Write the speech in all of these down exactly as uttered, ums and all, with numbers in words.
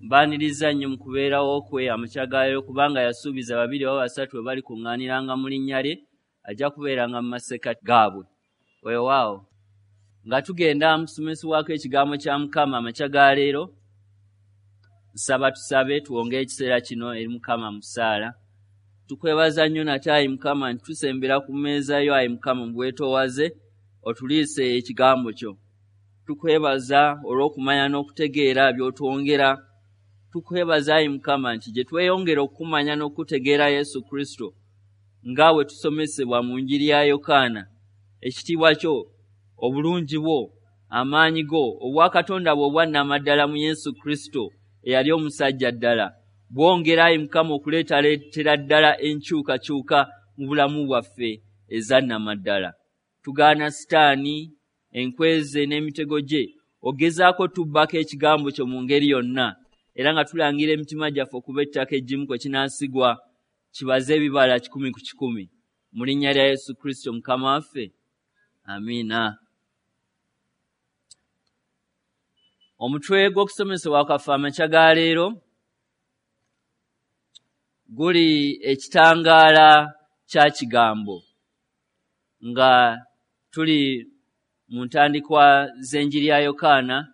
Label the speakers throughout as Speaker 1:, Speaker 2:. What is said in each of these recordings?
Speaker 1: Mbaaniriza nnyo mu kubeerawo kwe amakya ga leero, kubanga yasuubiza babiri oba basatu bwe balikuŋŋaaniranga mu linnya lye, ajja kubeeranga mu masekkati gaabwe. Weewaawo. Nga tugenda mu kusomesebwako ekigambo kya Mukama amakya ga leero, nsaba tusabe tuwonge ekiseera kino eri Mukama mu ssaala. Tukwebaza nnyo nate ayi Mukama nti tusembera ku mmeeza yo ayi Mukama mu bwetoowaze, otuliise ekigambo kyo. Tukwebaza olw'okumanya n'okutegeera by'otwongera. Tukwebaza ayi Mukama nti gye tweyongera okumanya n'okutegeera Yesu Kristo nga bwe tusomesebwa mu njiri ya Yokaana, ekitiibwa kyo, obulungi bwo, amaanyi go, obwakatonda bwo obwannamaddala mu Yesu Kristo eyali omusajja ddala, bwongera ayi Mukama okuleetaleetera ddala enkyukakyuka mu bulamu bwaffe ezannamaddala. Tugaana Sitaani, enkweze n'emitego gye, ogezaako tubbako ekigambo kyo mu ngeri yonna, era nga tulangira emitima gyaffe okuba ettaka eggimu kwe kinaasigwa, kibaze ebibala kikumi ku kikumi. Mu linnya lya Yesu Kristo Mukama waffe, amiina. Omutwe gw'okusomesebwa kwaffe amakya ga leero guli ekitangaala kya kigambo, nga tuli mu ntandikwa z'enjiri ya Yokaana.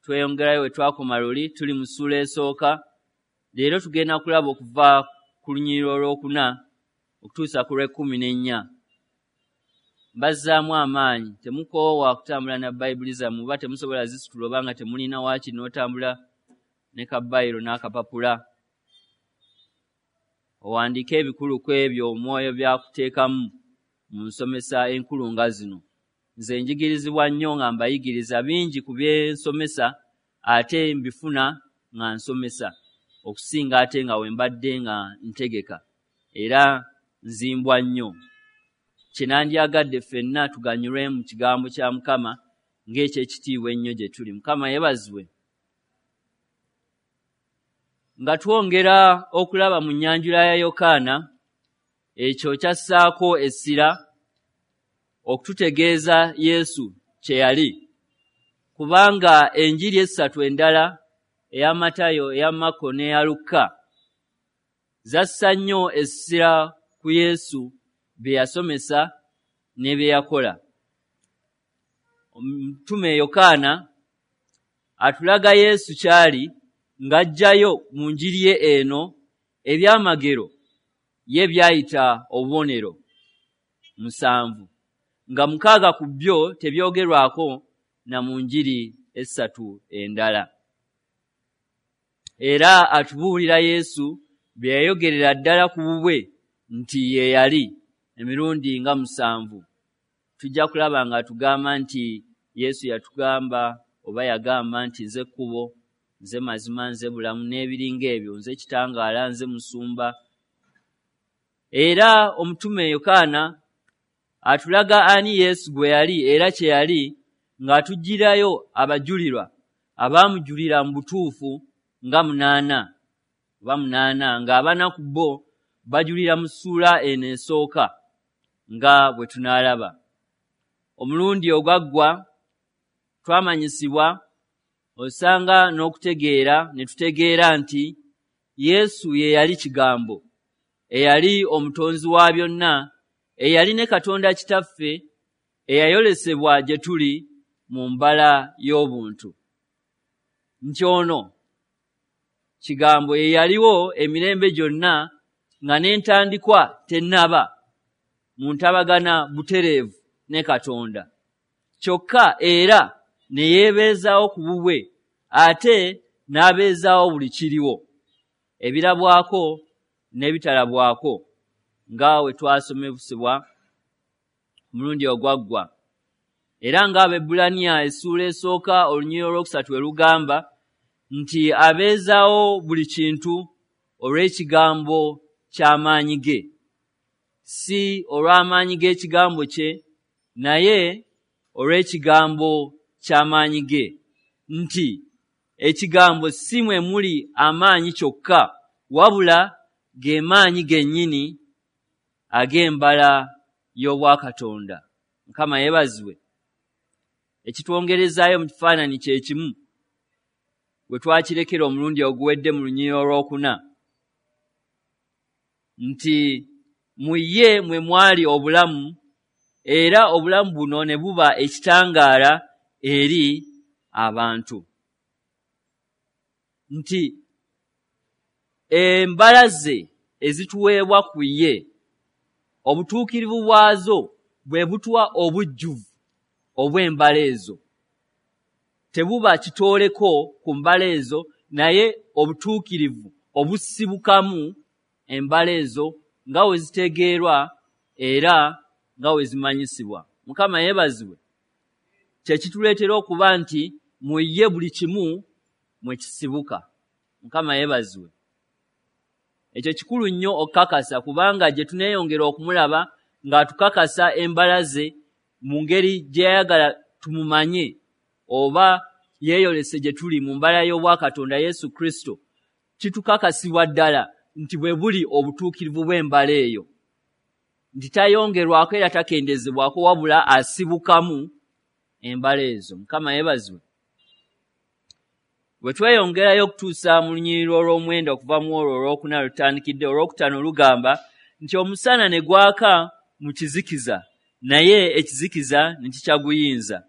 Speaker 1: Tweyongerayo we twakoma luli, tuli mu ssuula esooka. Leero tugenda kulaba okuva ku lunyiriri olwokuna okutuusa ku lw'ekkumi n'ennya. Mbazzaamu amaanyi, temukoowa kutambula na Bayibuli zammwe, oba temusobola zisitula oba nga temulina waakiri n'otambula ne kabayiro n'akapapula, owandiike ebikulu ku ebyo omwoyo by'akuteekamu mu nsomesa enkulu nga zino. Nze njigirizibwa nnyo nga mbayigiriza bingi ku bye nsomesa, ate mbifuna nga nsomesa okusinga ate nga we mbadde nga ntegeka, era nzimbwa nnyo. Kye nandyagadde ffenna tuganyulwe mu kigambo kya Mukama ng'ekyekitiibwa ennyo gye tuli. Mukama yeebazibwe. Nga twongera okulaba mu nnyanjula ya Yokaana, ekyo kyassaako essira okututegeeza Yesu kye yali, kubanga enjiri essatu endala, eya Matayo, eya Makko n'eya Lukka, zassa nnyo essira ku Yesu bye yasomesa ne bye yakola. Omutume Yokaana atulaga Yesu ky'ali ng'aggyayo mu njiri ye eno ebyamagero ye by'ayita obubonero musanvu, nga mukaaga ku byo tebyogerwako na mu njiri essatu endala. Era atubuulira Yesu bye yayogerera ddala ku bubwe nti ye yali emirundi nga musanvu. Tujja kulaba nga atugamba nti Yesu yatugamba oba yagamba nti nze kkubo, nze mazima, nze bulamu n'ebiringa ebyo, nze kitangaala, nze musumba. Era omutume Yokaana atulaga ani Yesu gwe yali era kye yali, ng'atuggyirayo abajulirwa abaamujulira mu butuufu nga munaana oba munaana, ng'abana ku bo bajulira mu ssuula eno esooka nga bwe tunaalaba. Omulundi ogwaggwa twamanyisibwa osanga n'okutegeera ne tutegeera nti Yesu ye yali kigambo, eyali omutonzi wa byonna, eyali ne Katonda Kitaffe, eyayolesebwa gye tuli mu mbala y'obuntu. Nti ono kigambo ye yaliwo emirembe gyonna nga n'entandikwa tennaba, mu ntabagana butereevu ne Katonda. Kyokka era ne yeebeezaawo ku bubwe, ate n'abeezaawo buli kiriwo, ebirabwako n'ebitalabwako, nga we twasomesebwa omulundi ogwaggwa. Era ng'Abaebbulaniya essuula esooka olunyiriri olwokusatu we lugamba nti abeezaawo buli kintu olw'ekigambo ky'amaanyi ge, si olw'amaanyi g'ekigambo kye, naye olw'ekigambo ky'amaanyi ge, nti ekigambo si mwe muli amaanyi kyokka, wabula ge maanyi gennyini ag'embala y'obwakatonda. Mukama yeebazibwe. Ekitwongerezaayo mu kifaananyi kye kimu. we twakirekera omulundi oguwedde mu lunyiriri olwokuna, nti mu ye mwe mwali obulamu, era obulamu buno ne buba ekitangaala eri abantu. Nti embala ze ezituweebwa ku ye, obutuukirivu bwazo bwe butuwa obujjuvu obw'embala ezo. Tebuba kitooleko ku mbala ezo, naye obutuukirivu obusibukamu embala ezo nga we zitegeerwa era nga we zimanyisibwa. Mukama yeebazibwe. Kye kituleetera okuba nti mu ye buli kimu mwe kisibuka. Mukama yeebazibwe. Ekyo kikulu nnyo okukakasa, kubanga gye tuneeyongera okumulaba ng'atukakasa embala ze mu ngeri gye yayagala tumumanye, oba yeeyolese gye tuli mu mbala y'obwakatonda Yesu Kristo, kitukakasibwa ddala nti bwe buli obutuukirivu bw'embala eyo, nti tayongerwako era takendezebwako, wabula asibukamu embala ezo. Mukama yeebazibwe. Bwe tweyongerayo okutuusa mu lunyiriri olw'omwenda okuva mu olwo olwokuna lutandikidde, olwokutaano lugamba nti omusana ne gwaka mu kizikiza, naye ekizikiza ne kikyaguyinza.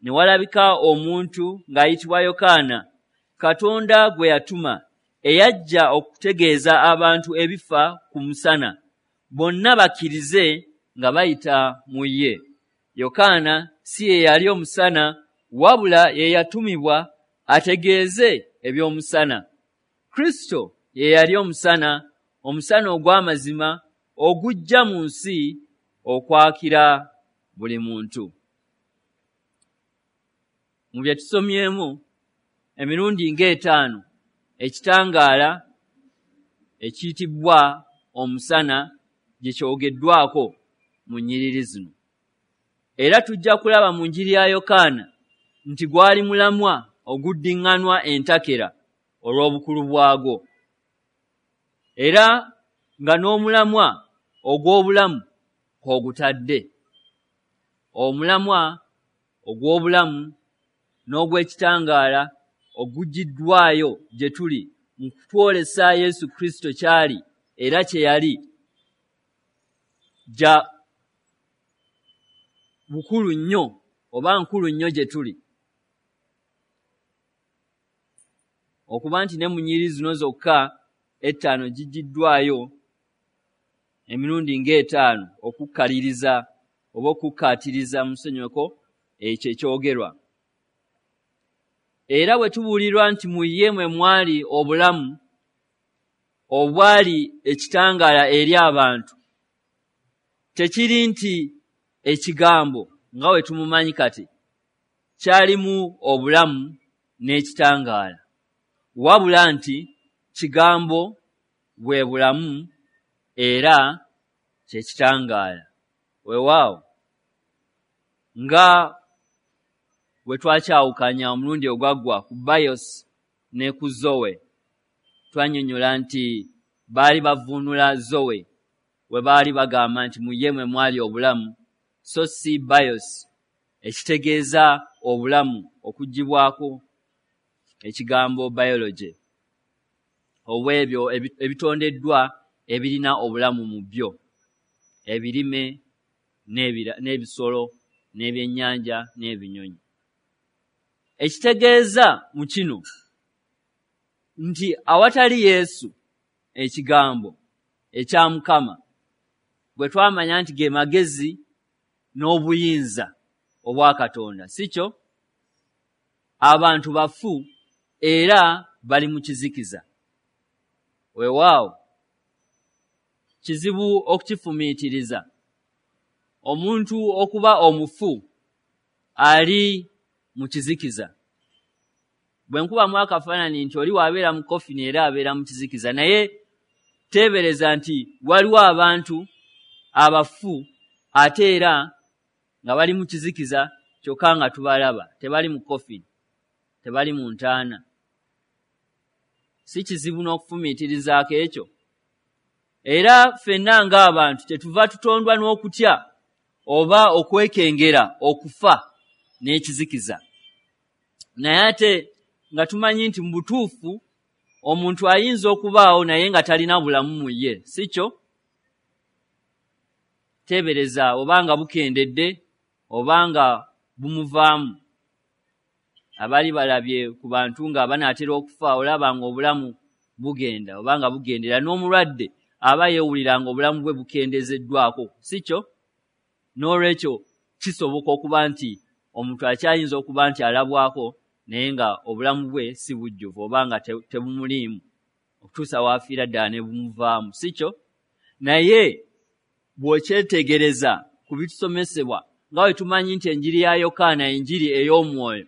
Speaker 1: Ne walabika omuntu ng'ayitibwa Yokaana, Katonda gwe yatuma, eyajja okutegeeza abantu ebifa ku musana, bonna bakkirize nga bayita mu ye. Yokaana si ye yali omusana, wabula ye yatumibwa ategeeze eby'omusana. Kristo ye yali omusana, omusana ogw'amazima ogujja mu nsi okwakira buli muntu. Mu bye tusomyemu emirundi ng'etaano, ekitangaala ekiyitibwa omusana gye kyogeddwako mu nnyiriri zino. Era tujja kulaba mu njiri ya Yokaana nti gwali mulamwa oguddiŋŋanwa entakera olw'obukulu bwagwo, era nga n'omulamwa ogw'obulamu kw'ogutadde. Omulamwa ogw'obulamu n'ogw'ekitangaala ogugiddwayo gye tuli mu kutwolesa Yesu Kristo ky'ali era kye yali, gya bukulu nnyo oba nkulu nnyo gye tuli. Okuba nti ne mu nnyiriri zino zokka ettaano gigiddwayo emirundi ng'etaano okukkaliriza oba okukkaatiriza musonyiweko ekyo ekyogerwa. Era bwe tubuulirwa nti mu ye mwe mwali obulamu obwali ekitangaala eri abantu, tekiri nti ekigambo nga bwe tumumanyi kati kyalimu obulamu n'ekitangaala, wabula nti kigambo bwe bulamu era kye kitangaala. Weewaawo, nga bwe twakyawukanya omulundi ogwaggwa ku bios ne ku zoe, twannyonnyola nti baali bavuunula zoe we baali bagamba nti mu ye mwe mwali obulamu, so si bios ekitegeeza obulamu okuggyibwako ekigambo biology, obw'ebyo ebitondeddwa ebirina obulamu mu byo, ebirime n'ebisolo n'ebyennyanja n'ebinyonyi. Ekitegeeza mu kino nti awatali Yesu ekigambo ekya Mukama gwe twamanya nti ge magezi n'obuyinza obwa Katonda, si kyo? Abantu bafu era bali mu kizikiza. Weewaawo, kizibu okukifumiitiriza. Omuntu okuba omufu ali mu kizikiza. Bwe nkubamu akafaananyi nti oli w'abeera mu kofini era abeera mu kizikiza, naye teebereza nti waliwo abantu abafu ate era nga bali mu kizikiza kyokka nga tubalaba, tebali mu kofini, tebali mu ntaana. Si kizibu n'okufumiitirizaako ekyo? Era ffenna ng'abantu kyetuva tutondwa n'okutya oba okwekengera okufa n'ekizikiza. Naye ate nga tumanyi nti mu butuufu omuntu ayinza okubaawo naye nga talina bulamu mu ye, si kyo? Teebereza oba nga bukendedde oba nga bumuvaamu. Abali balabye ku bantu nga banaatera okufa, olaba nga obulamu bugenda oba nga bugendera, n'omulwadde aba yeewulira nga obulamu bwe bukendezeddwako, si kyo? N'olwekyo kisoboka okuba nti omuntu akyayinza okuba nti alabwako naye nga obulamu bwe si bujjuvu oba nga tebumuliimu okutuusa w'afiira ddala ne bumuvaamu, si kyo? Naye bw'okyetegereza ku bitusomesebwa nga bwe tumanyi nti enjiri ya Yokaana enjiri ey'omwoyo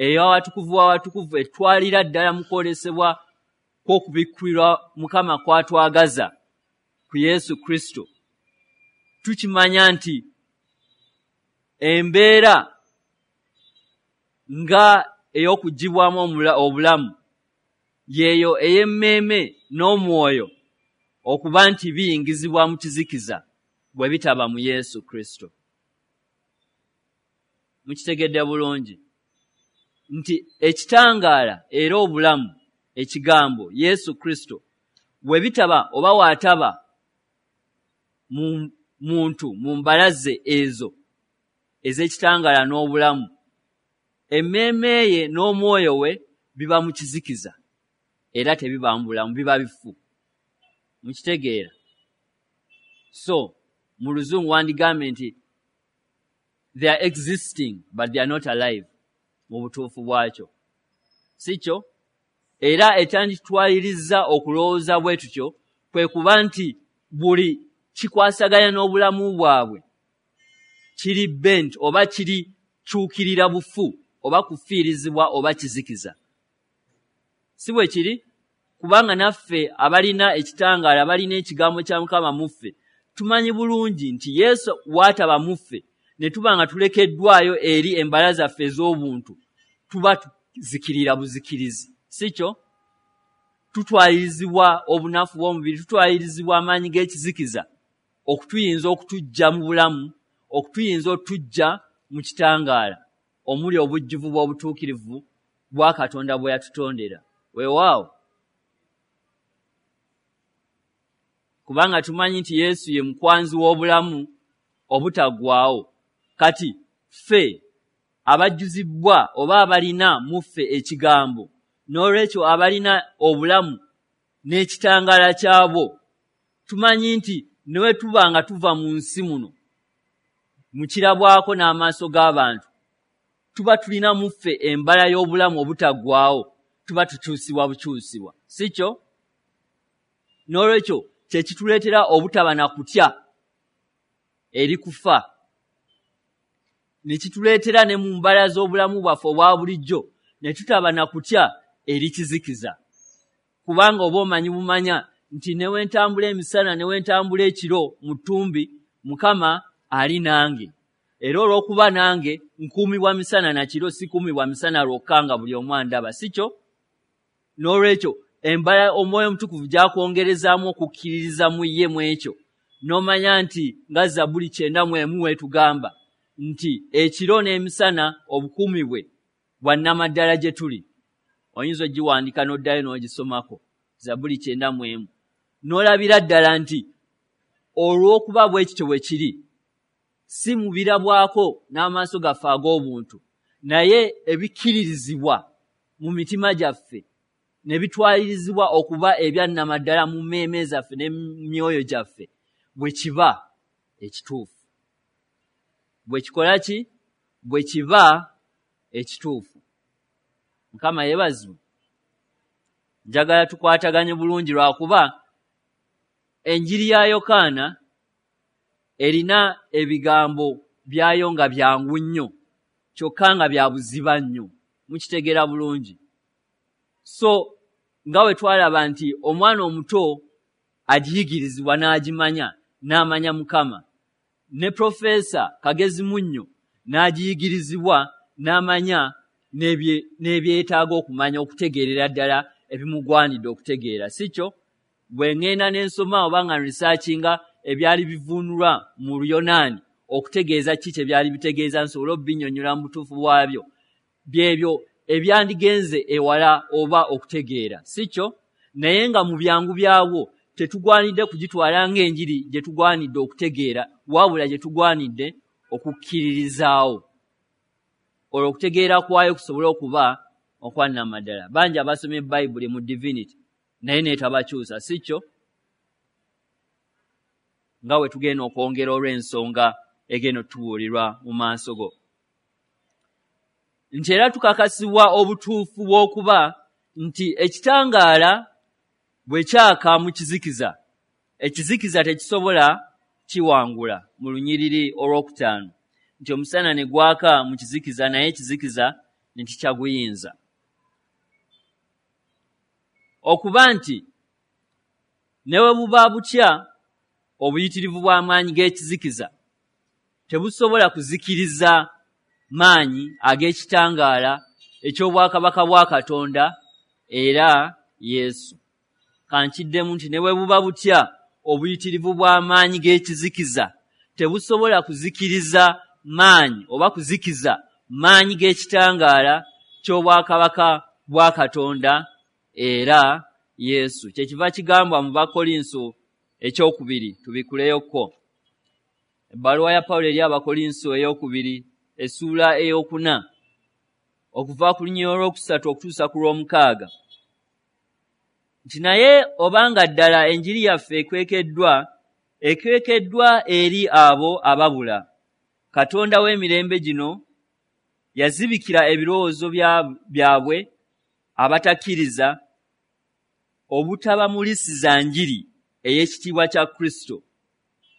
Speaker 1: ey'awatukuvu w'awatukuvu etwalira ddala mu kwolesebwa kw'okubikkulirwa Mukama kw'atwagaza ku Yesu Kristo, tukimanya nti embeera nga ey'okuggyibwamu obulamu yeeyo ey'emmeeme n'omwoyo okuba nti biyingizibwa mu kizikiza bwe bitaba mu Yesu Kristo. Mukitegedde bulungi nti ekitangaala era obulamu, ekigambo Yesu Kristo, bwe bitaba oba waataba mu muntu mu mbalaze ezo ez'ekitangaala n'obulamu, emmeeme ye n'omwoyo we biba mu kizikiza era tebiba mu bulamu, biba bifu. Mukitegeera? So mu Luzungu wandigambye nti they are existing but they are not alive mu butuufu bwakyo, si kyo? Era ekyanditwaliriza okulowooza bwe tutyo kwe kuba nti buli kikwasaganya n'obulamu bwabwe kiri bent oba kiri kyukirira bufu oba kufiirizibwa oba kizikiza, si bwe kiri? Kubanga naffe abalina ekitangaala, abalina ekigambo kya Mukama mu ffe, tumanyi bulungi nti Yesu w'ataba mu ffe ne tuba nga tulekeddwayo eri embala zaffe ez'obuntu, tuba tuzikirira buzikirizi, si kyo? Tutwalirizibwa obunafu bw'omubiri, tutwalirizibwa amaanyi g'ekizikiza okutuyinza okutuggya mu bulamu, okutuyinza otuggya mu kitangaala omuli obujjuvu bw'obutuukirivu bwa Katonda bwe yatutondera. Weewaawo, kubanga tumanyi nti Yesu ye mukwanzi w'obulamu obutaggwaawo. Kati ffe abajjuzibwa oba abalina mu ffe ekigambo, n'olwekyo abalina obulamu n'ekitangaala kyabwo, tumanyi nti ne bwe tuba nga tuva mu nsi muno mu kirabwako n'amaaso g'abantu, tuba tulina mu ffe embala y'obulamu obutaggwaawo, tuba tukyusibwa bukyusibwa, si kyo? N'olwekyo kye kituleetera obutaba na kutya eri kufa, ne kituleetera ne mu mbala z'obulamu bwaffe obwa bulijjo ne tutaba na kutya eri kizikiza, kubanga oba omanyi bumanya nti ne we ntambula emisana ne we ntambula ekiro mu ttumbi, Mukama ali nange, era olw'okuba nange nkuumibwa misana na kiro, sikuumibwa misana lwokka nga buli omu andaba, si kyo? N'olwekyo embala Omwoyo Omutukuvu gy'akwongerezaamu okukkiririza mu ye mu ekyo, n'omanya nti nga Zabbuli kyenda mu emu weetugamba nti ekiro n'emisana obukuumi bwe bwa nnamaddala gye tuli. Oyinza ogiwandiika n'oddayo n'ogisomako, Zabbuli kyenda mu emu, n'olabira ddala nti olw'okuba bwe kityo bwe kiri, si mubirabwako n'amaaso gaffe ag'obuntu, naye ebikkiririzibwa mu mitima gyaffe ne bitwalirizibwa okuba ebya nnamaddala mu mmeeme zaffe ne myoyo gyaffe, bwe kiba ekituufu. Bwe kikola ki? Bwe kiba ekituufu. Mukama yeebazibwe. Njagala tukwataganye bulungi lwakuba enjiri ya Yokaana erina ebigambo byayo nga byangu nnyo kyokka nga bya buziba nnyo. Mukitegeera bulungi. So nga bwe twalaba nti omwana omuto agiyigirizibwa n'agimanya n'amanya Mukama, ne Profesa Kagezi Munnyo n'agiyigirizibwa n'amanya n'ebyetaaga okumanya okutegeerera ddala ebimugwanidde okutegeera, si kyo? Bwe ŋŋenda ne nsoma oba nga nrisaakinga ebyali bivuunulwa mu Luyonaani okutegeeza ki kye byali bitegeeza nsobole obinnyonnyola mu butuufu bwabyo, byebyo ebyandigenze ewala oba okutegeera, si kyo? Naye nga mu byangu byabwo tetugwanidde kugitwala ng'enjiri gye tugwanidde okutegeera, wabula gye tugwanidde okukkiririzaawo, olwo okutegeera kwayo kusobole okuba okwannamaddala. Bangi abasomye Bayibuli mu divinity naye neetabakyusa, si kyo? Nga bwe tugenda okwongera olw'ensonga egenda otubuulirwa mu maaso go, nti era tukakasibwa obutuufu bw'okuba nti ekitangaala bwe kyaka mu kizikiza, ekizikiza tekisobola kiwangula. Mu lunyiriri olwokutaano nti omusana ne gwaka mu kizikiza, naye ekizikiza ne kikyaguyinza. Okuba nti ne bwe buba butya obuyitirivu bw'amaanyi g'ekizikiza tebusobola kuzikiriza maanyi ag'ekitangaala eky'obwakabaka bwa Katonda era Yesu. Kankiddemu nti ne bwe buba butya obuyitirivu bw'amaanyi g'ekizikiza tebusobola kuzikiriza maanyi oba kuzikiza maanyi g'ekitangaala ky'obwakabaka bwa Katonda era Yesu. Kyekiva kigambwa mu Bakolinso ekyokubiri, tubikuleyoko. Ebbaluwa ya Pawulo eri Abakolinso eyokubiri essuula eyokuna okuva ku lunyiriri olwokusatu okutuusa ku lw'omukaaga, nti naye obanga ddala enjiri yaffe ekwekeddwa, ekwekeddwa eri abo ababula. Katonda w'emirembe gino yazibikira ebirowoozo byabwe abatakkiriza, obutabamulisiza njiri ey'ekitiibwa kya Kristo,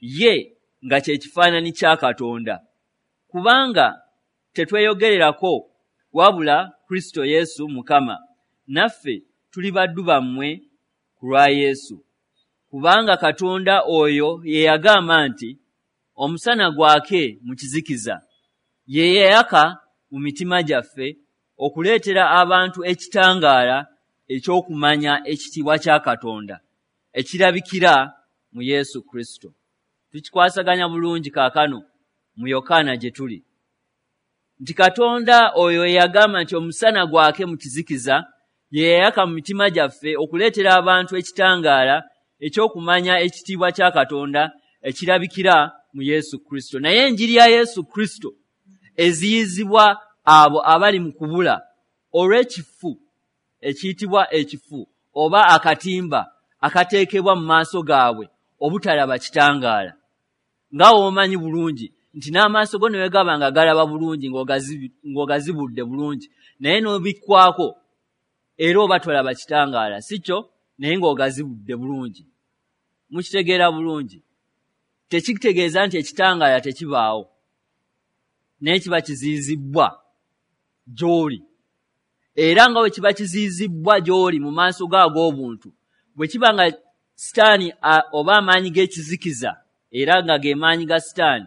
Speaker 1: ye nga kye kifaananyi kya Katonda. Kubanga tetweyogererako wabula Kristo Yesu Mukama, naffe tuli baddu bammwe ku lwa Yesu. Kubanga Katonda oyo ye yagamba nti omusana gwake mu kizikiza, ye yayaka mu mitima gyaffe okuleetera abantu ekitangaala eky'okumanya ekitiibwa kya Katonda ekirabikira mu Yesu Kristo. Tukikwasaganya bulungi kaakano mu Yokaana gye tuli, nti Katonda oyo eyagamba nti omusana gwake mu kizikiza ye yayaka mu mitima gyaffe okuleetera abantu ekitangaala eky'okumanya ekitiibwa kya Katonda ekirabikira mu Yesu Kristo. Naye enjiri ya Yesu Kristo eziyizibwa abo abali mu kubula olw'ekifu ekiyitibwa ekifu oba akatimba akateekebwa mu maaso gaabwe obutalaba kitangaala. Nga w'omanyi bulungi nti n'amaaso go ne bwe gaba nga galaba bulungi ng'ogazibudde bulungi, naye n'obikwako era oba tolaba kitangaala, si kyo? Naye ng'ogazibudde bulungi. Mukitegeera bulungi. Tekitegeeza nti ekitangaala tekibaawo, naye kiba kiziyizibbwa gy'oli. Era nga bwe kiba kiziyizibbwa gy'oli mu maaso go ag'obuntu, bwe kiba nga Sitaani oba amaanyi g'ekizikiza, era nga ge maanyi ga Sitaani,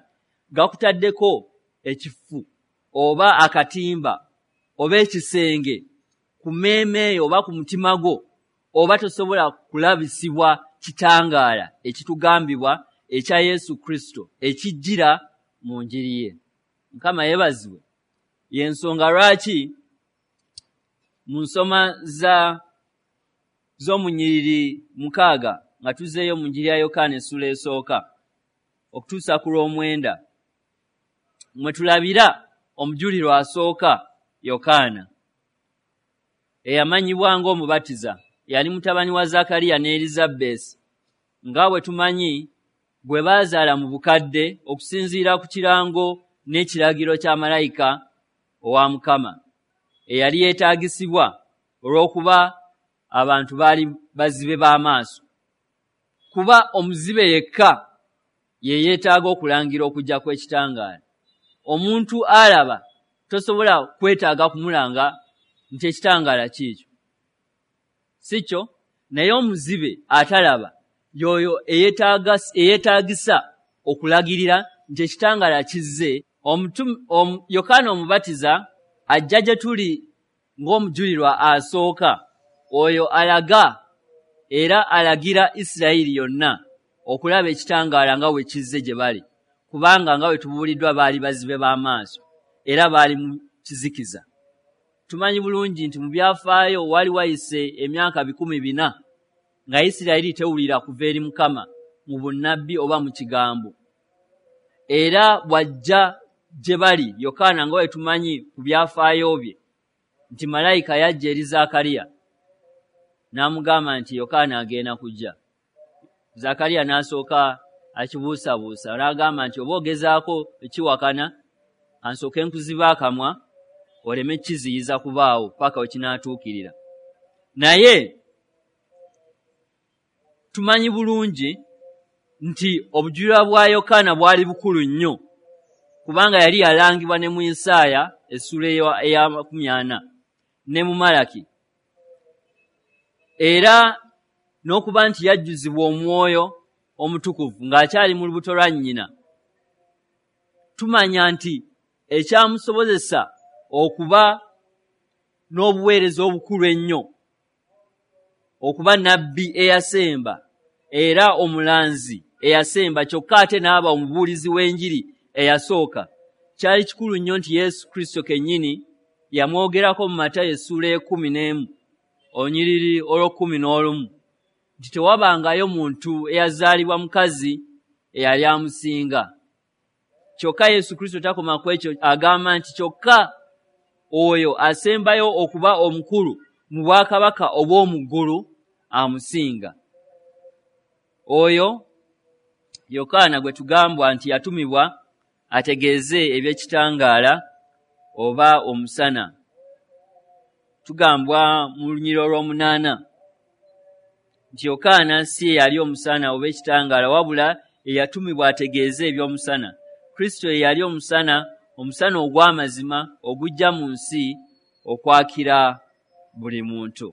Speaker 1: gakutaddeko ekifu oba akatimba oba ekisenge ku mmeeme eyo oba ku mutima gwo, oba tosobola kulabisibwa kitangaala ekitugambibwa ekya Yesu Kristo ekijjira mu njiri ye. Mukama yeebazibwe. Y'ensonga lwaki mu nsoma za z'omunyiriri mukaaga nga tuzzeeyo mu njiri ya Yokaana essuula esooka okutuusa ku lw'omwenda, mwe tulabira omujulirwa asooka Yokaana eyamanyibwa ng'omubatiza. Yali mutabani wa Zakariya ne Erizabeesi, nga bwe tumanyi gwe baazaala mu bukadde okusinziira ku kirango n'ekiragiro kya malayika owa Mukama, eyali yeetaagisibwa olw'okuba abantu baali bazibe b'amaaso. Kuba omuzibe yekka ye yeetaaga okulangira okujja kw'ekitangaala. Omuntu alaba tosobola kwetaaga kumulanga nti ekitangaala kiikyo, si kyo? Naye omuzibe atalaba y'oyo eyeetaagisa okulagirira nti ekitangaala kizze. Yokaana Omubatiza ajja gye tuli ng'omujulirwa asooka, oyo alaga era alagira Isirayiri yonna okulaba ekitangaala nga bwe kizze gye bali, kubanga nga bwe tubuuliddwa baali bazibe b'amaaso era baali mu kizikiza. Tumanyi bulungi nti mu byafaayo wali wayise emyaka bikumi bina nga Isirayiri tewulira kuva eri Mukama mu bunnabbi oba mu kigambo. Era bw'ajja gye bali Yokaana, nga bwe tumanyi ku byafaayo bye nti malayika yajja eri Zaakaliya n'amugamba nti Yokaana agenda kujja. Zaakaliya n'asooka akibuusabuusa n'agamba nti oba ogezaako ekiwakana, ansooke nkuziba akamwa oleme kiziyiza kubaawo paka we kinaatuukirira. Naye tumanyi bulungi nti obujulirwa bwa Yokaana bwali bukulu nnyo, kubanga yali yalangibwa ne mu Isaaya essuula eya makumi ana ne mu Malaki, era n'okuba nti yajjuzibwa Omwoyo Omutukuvu ng'akyali mu lubuto lwa nnyina. Tumanya nti ekyamusobozesa okuba n'obuweereza obukulu ennyo, okuba nabbi eyasemba era omulanzi eyasemba, kyokka ate n'aba omubuulizi w'enjiri eyasooka, kyali kikulu nnyo nti Yesu Kristo kennyini yamwogerako mu Matayo essuula ekkumi n'emu olunyiriri olw'ekkumi n'olumu nti tewabangayo muntu eyazaalibwa mukazi eyali amusinga. Kyokka Yesu Kristo takoma ku ekyo, agamba nti kyokka oyo asembayo okuba omukulu mu bwakabaka obw'omu ggulu amusinga. Oyo Yokaana gwe tugambwa nti yatumibwa ategeeze eby'ekitangaala oba omusana. Tugambwa mu lunyiriri olw'omunaana nti Yokaana si ye yali omusana oba ekitangaala, wabula eyatumibwa ategeeze eby'omusana. Kristo ye yali omusana, omusana ogw'amazima ogujja mu nsi okwakira buli muntu.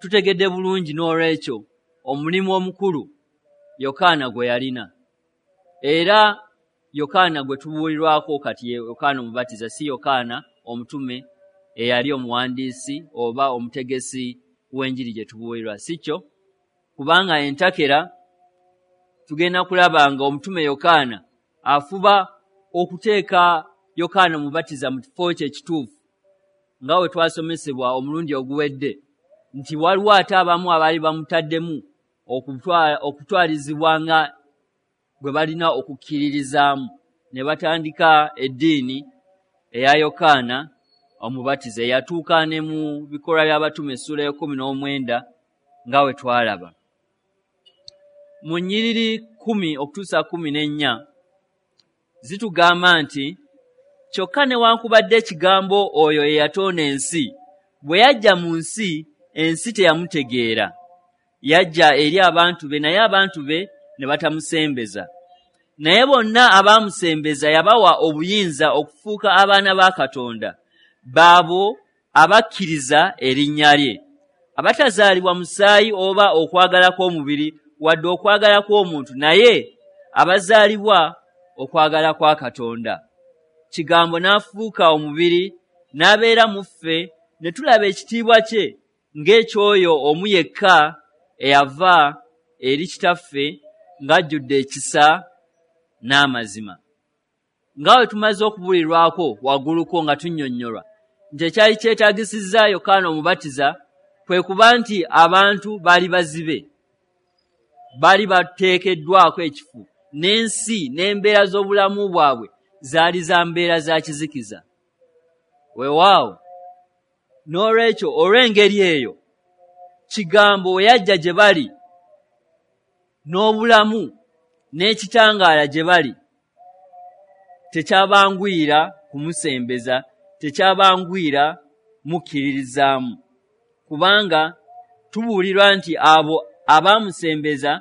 Speaker 1: Tutegedde bulungi n'olwekyo omulimu omukulu Yokaana gwe yalina, era Yokaana gwe tubuulirwako kati ye Yokaana Omubatiza, si Yokaana omutume eyali omuwandiisi oba omutegesi w'enjiri gye tubuulirwa, si kyo? Kubanga entakera tugenda kulaba nga omutume Yokaana afuba okuteeka Yokaana Omubatiza mu kifo kye ekituufu, nga bwe twasomesebwa omulundi oguwedde nti waliwo ate abamu abaali bamutaddemu okutwalizibwa nga gwe balina okukkiririzaamu, ne batandika eddiini eya Yokaana Omubatiza eyatuuka ne mu bikolwa by'abatume essuula y'ekkumi n'omwenda nga bwe twalaba. Mu nnyiriri kkumi okutuusa kkumi n'ennya zitugamba nti kyokka newankubadde ekigambo oyo eyatonda ensi bwe yajja mu nsi, ensi teyamutegeera. Yajja eri abantu be, naye abantu be ne batamusembeza. Naye bonna abaamusembeza yabawa obuyinza okufuuka abaana ba Katonda, baabo abakkiriza erinnya lye, abatazaalibwa musaayi oba okwagala kw'omubiri wadde okwagala kw'omuntu, naye abazaalibwa okwagala kwa Katonda. Kigambo n'afuuka omubiri n'abeera mu ffe, ne tulaba ekitiibwa kye ng'ekyoyo omu yekka eyava eri Kitaffe ng'ajjudde ekisa n'amazima. Nga bwe tumaze okubulirwako wagguluko nga tunnyonnyolwa nti ekyali kyetaagisizza Yokaana Omubatiza kwe kuba nti abantu baali bazibe, baali bateekeddwako ekifu, n'ensi n'embeera z'obulamu bwabwe zaali za mbeera za kizikiza. Weewaawo, n'olwekyo olw'engeri eyo kigambo we yajja gye bali n'obulamu n'ekitangaala gye bali, tekyabanguyira kumusembeza, tekyabanguyira mukkiririzaamu, kubanga tubuulirwa nti abo abaamusembeza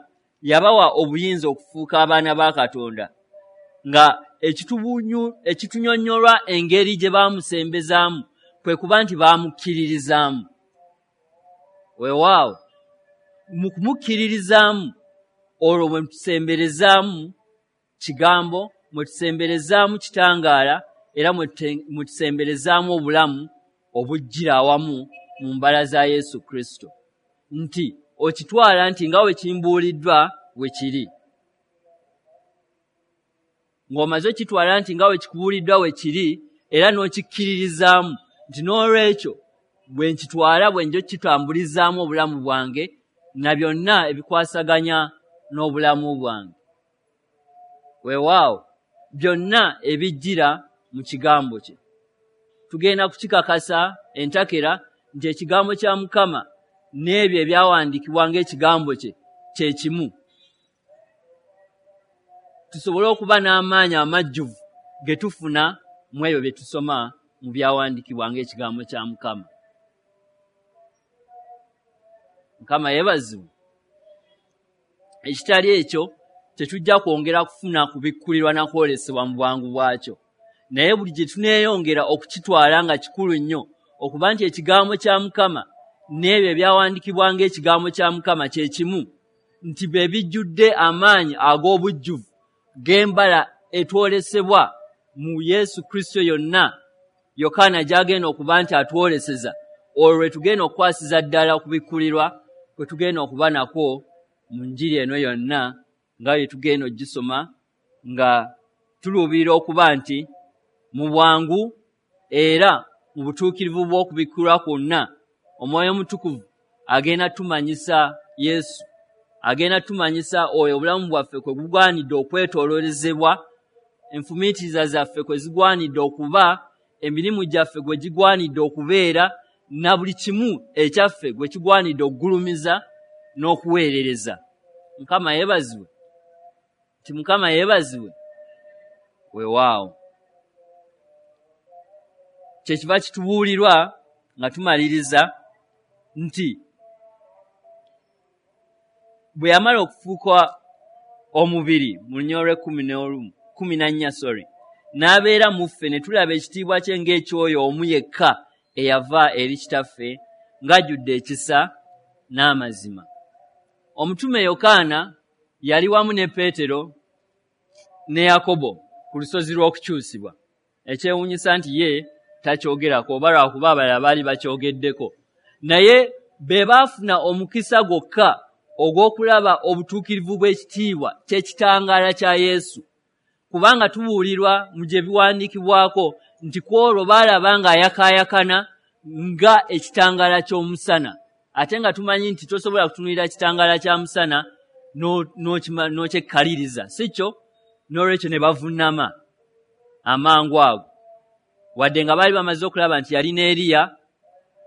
Speaker 1: yabawa obuyinza okufuuka abaana ba Katonda, nga ekitunyonnyolwa engeri gye baamusembezaamu kwe kuba nti baamukkiririzaamu. Weewaawo, mu kumukkiririzaamu olwo mwe tusemberezaamu kigambo, mwe tusemberezaamu kitangaala, era mwe tusemberezaamu obulamu obujjira awamu mu mbala za Yesu Kristo. Nti okitwala nti nga bwe kimbuuliddwa bwe kiri, ng'omaze okitwala nti nga bwe kikubuuliddwa bwe kiri, era n'okikkiririzaamu Nti n'olwekyo bwe nkitwala bwe njo kitambulizaamu obulamu bwange na byonna ebikwasaganya n'obulamu bwange. Weewaawo byonna ebijjira mu kigambo kye. Tugenda kukikakasa entakera nti ekigambo kya Mukama n'ebyo ebyawandiikibwa ng'ekigambo kye kye kimu. Tusobole okuba n'amaanyi amajjuvu ge tufuna mu ebyo bye tusoma mu byawandiikibwa ng'ekigambo kya Mukama. Mukama yeebazibwe. Ekitali ekyo tetujja kwongera kufuna kubikkulirwa na kwolesebwa mu bwangu bwakyo. Naye buli gye tuneeyongera okukitwala nga kikulu nnyo okuba nti ekigambo kya Mukama n'ebyo ebyawandiikibwa ng'ekigambo kya Mukama kye kimu, nti bye bijjudde amaanyi ag'obujjuvu g'embala etwolesebwa mu Yesu Kristo yonna Yokaana gy'agenda okuba nti atwoleseza, olwo lwe tugenda okukwasiza ddala okubikkulirwa kwe tugenda okuba nakwo mu njiri eno yonna nga bwe tugenda ogisoma nga tuluubirira okuba nti mu bwangu era mu butuukirivu bw'okubikkulwa kwonna Omwoyo Omutukuvu agenda tumanyisa Yesu, agenda tumanyisa oyo obulamu bwaffe kwe bugwanidde okwetooloolezebwa, enfumiitiriza zaffe kwe zigwanidde okuba, emirimu gyaffe gwe gigwanidde okubeera, na buli kimu ekyaffe gwe kigwanidde okugulumiza n'okuweerereza. Mukama yeebazibwe. Nti Mukama yeebazibwe. Weewaawo. Kyekiva kitubuulirwa nga tumaliriza nti bwe yamala okufuuka omubiri mu lunyiriri lw'ekkumi n'olumu kkumi na nnya sorry n'abeera mu ffe ne tulaba ekitiibwa kye ng'ekyoyo omu yekka eyava eri Kitaffe ng'ajjudde ekisa n'amazima. Omutume Yokaana yali wamu ne Peetero ne Yakobo ku lusozi lw'okukyusibwa. Ekyewuunyisa nti ye takyogerako oba lwakuba abalala baali bakyogeddeko, naye be baafuna omukisa gwokka ogw'okulaba obutuukirivu bw'ekitiibwa ky'ekitangaala kya Yesu, kubanga tubuulirwa mu gye biwandiikibwako nti ku olwo baalaba ng'ayakaayakana nga ekitangaala ky'omusana, ate nga tumanyi nti tosobola kutunuulira kitangaala kya musana n'okyekkaliriza, si kyo? N'olwekyo ne bavunnama amangu ago, wadde nga baali bamaze okulaba nti yali ne Eriya,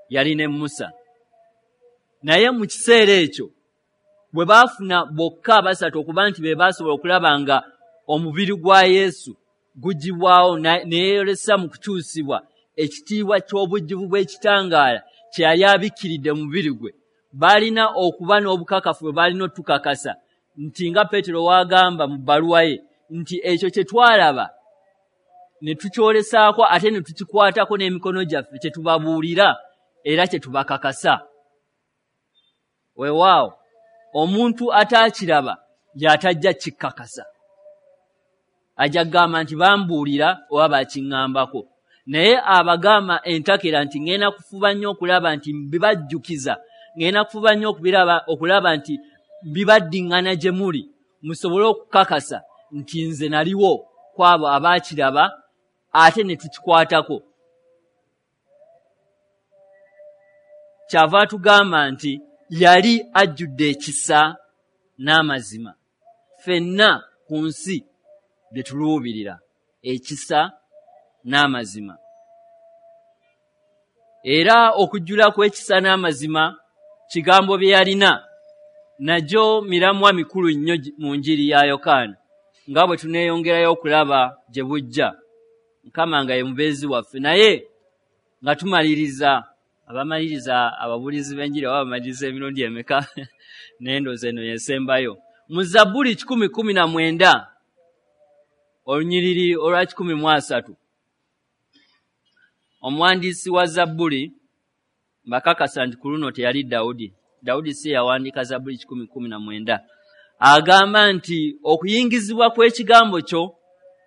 Speaker 1: yali ne Musa. Naye mu kiseera ekyo bwe baafuna bokka abasatu okuba nti be baasobola okulaba nga omubiri gwa Yesu gugibwawo ne yeeyolesa mu kukyusibwa ekitiibwa ky'obujjuvu bw'ekitangaala kye yali abikkiridde mu mubiri gwe, baalina okuba n'obukakafu bwe baalina otukakasa nti nga Peetero w'agamba mu bbaluwa ye nti ekyo kye twalaba ne tukyolesaako ate ne tukikwatako n'emikono gyaffe kye tubabuulira era kye tubakakasa. Weewaawo omuntu ataakiraba y'atajja kikkakasa, ajja kugamba nti bambuulira oba bakiŋŋambako, naye abagamba entakera nti ŋŋenda kufuba nnyo okulaba nti mbibajjukiza, ŋŋenda kufuba nnyo okubiraba okulaba nti mbibaddiŋŋana gye muli musobole okukakasa nti nze naliwo ku abo abaakiraba ate ne tukikwatako. Kyava atugamba nti yali ajjudde ekisa n'amazima. Ffenna ku nsi bye tuluubirira, ekisa n'amazima. Era okujjula kw'ekisa n'amazima kigambo bye yalina nagyo miramwa mikulu nnyo mu njiri ya Yokaana nga bwe tuneeyongerayo okulaba gye bujja. Mukama nga ye mubeezi waffe. Naye nga tumaliriza, abamaliriza ababuulizi b'enjiri oba bamaliriza emirundi emeka, naye ndowooza eno y'esembayo. Mu Zabbuli kikumi kkumi na mwenda olunyiriri olwa kikumi mu asatu, omuwandiisi wa Zabbuli, mbakakasa nti ku luno teyali Dawudi, Dawudi si yawandiika Zabbuli kikumi kkumi na mwenda, agamba nti okuyingizibwa kw'ekigambo kyo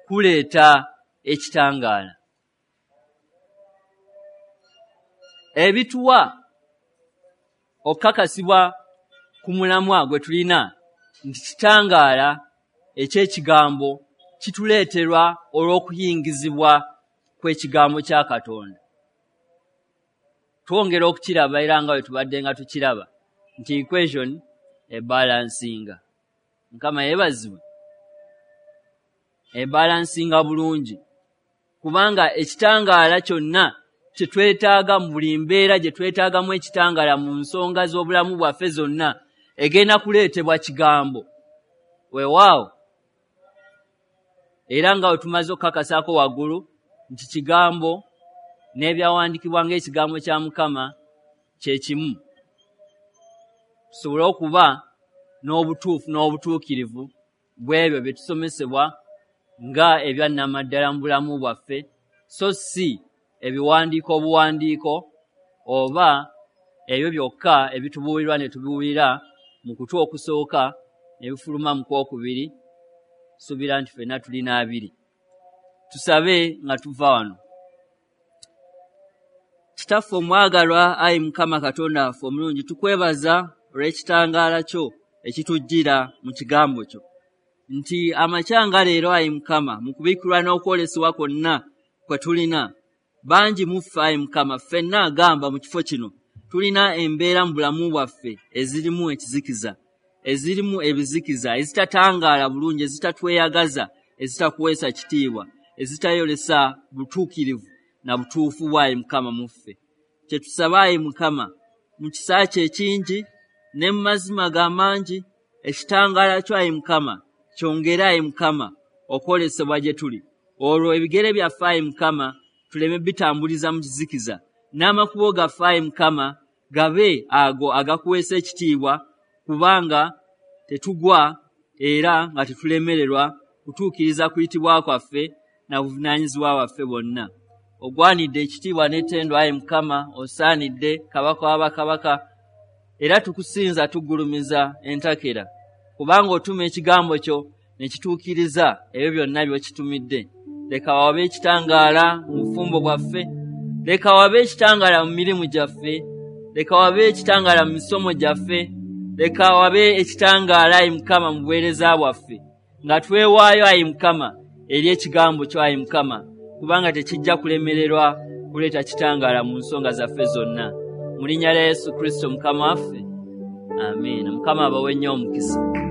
Speaker 1: kuleeta ekitangaala. Ebituwa okukakasibwa ku mulamwa gwe tulina nti kitangaala eky'ekigambo kituleeterwa olw'okuyingizibwa kw'ekigambo kya Katonda. Twongera okukiraba era nga bwe tubadde nga tukiraba nti equation ebalansinga. Mukama yeebazibwe. Ebalansinga bulungi, kubanga ekitangaala kyonna kye twetaaga mu buli mbeera gye twetaagamu ekitangaala mu nsonga z'obulamu bwaffe zonna egenda kuleetebwa kigambo. Weewaawo, era nga bwe tumaze okukakasaako waggulu nti kigambo n'ebyawandiikibwa ng'ekigambo kya Mukama kye kimu, tusobole okuba n'obutuufu n'obutuukirivu bw'ebyo bye tusomesebwa nga ebyannamaddala mu bulamu bwaffe, so si ebiwandiiko obuwandiiko oba ebyo byokka ebitubuulirwa ne tubiwulira mu kutu okusooka ne bifuluma mu kwokubiri. Suubira nti ffenna tulina abiri. Tusabe nga tuva wano. Kitaffe omwagalwa, ayi Mukama Katonda waffe omulungi, tukwebaza olw'ekitangaala kyo ekitujjira mu kigambo kyo, nti amakya nga leero, ayi Mukama, mu kubikkulwa n'okwolesebwa kwonna kwe tulina, bangi mu ffe, ayi Mukama, ffenna agamba mu kifo kino tulina embeera mu bulamu bwaffe ezirimu ekizikiza, ezirimu ebizikiza, ezitatangaala bulungi, ezitatweyagaza, ezitakuweesa kitiibwa, ezitayolesa butuukirivu na butuufu bwa ayi Mukama mu ffe. Kye tusaba, ayi Mukama, mu kisa kye ekingi ne mu mazima ga mangi, ekitangaala kyo, ayi Mukama, kyongere, ayi Mukama, okwolesebwa gye tuli, olwo ebigere byaffe, ayi Mukama, tuleme bitambuliza mu kizikiza, n'amakubo gaffe, ayi Mukama, gabe ago agakuweesa ekitiibwa, kubanga tetugwa era nga tetulemererwa kutuukiriza kuyitibwa kwaffe na buvunaanyizibwa bwaffe bwonna. Ogwanidde ekitiibwa n'ettendo, ayi Mukama, osaanidde Kabaka w'abakabaka, era tukusinza tugulumiza entakera, kubanga otuma ekigambo kyo ne kituukiriza ebyo byonna by'okitumidde. Leka wabe ekitangaala mu bufumbo bwaffe, leka wabe ekitangaala mu mirimu gyaffe, leka wabe ekitangaala mu misomo gyaffe, leka wabe ekitangaala, ayi Mukama, mu buweereza bwaffe, nga twewaayo, ayi Mukama, eri ekigambo kyo, ayi Mukama, kubanga tekijja kulemererwa kuleeta kitangaala mu nsonga zaffe zonna. Mu linnya lya Yesu Kristo Mukama waffe, amiina. Mukama abawe nnyo omukisa.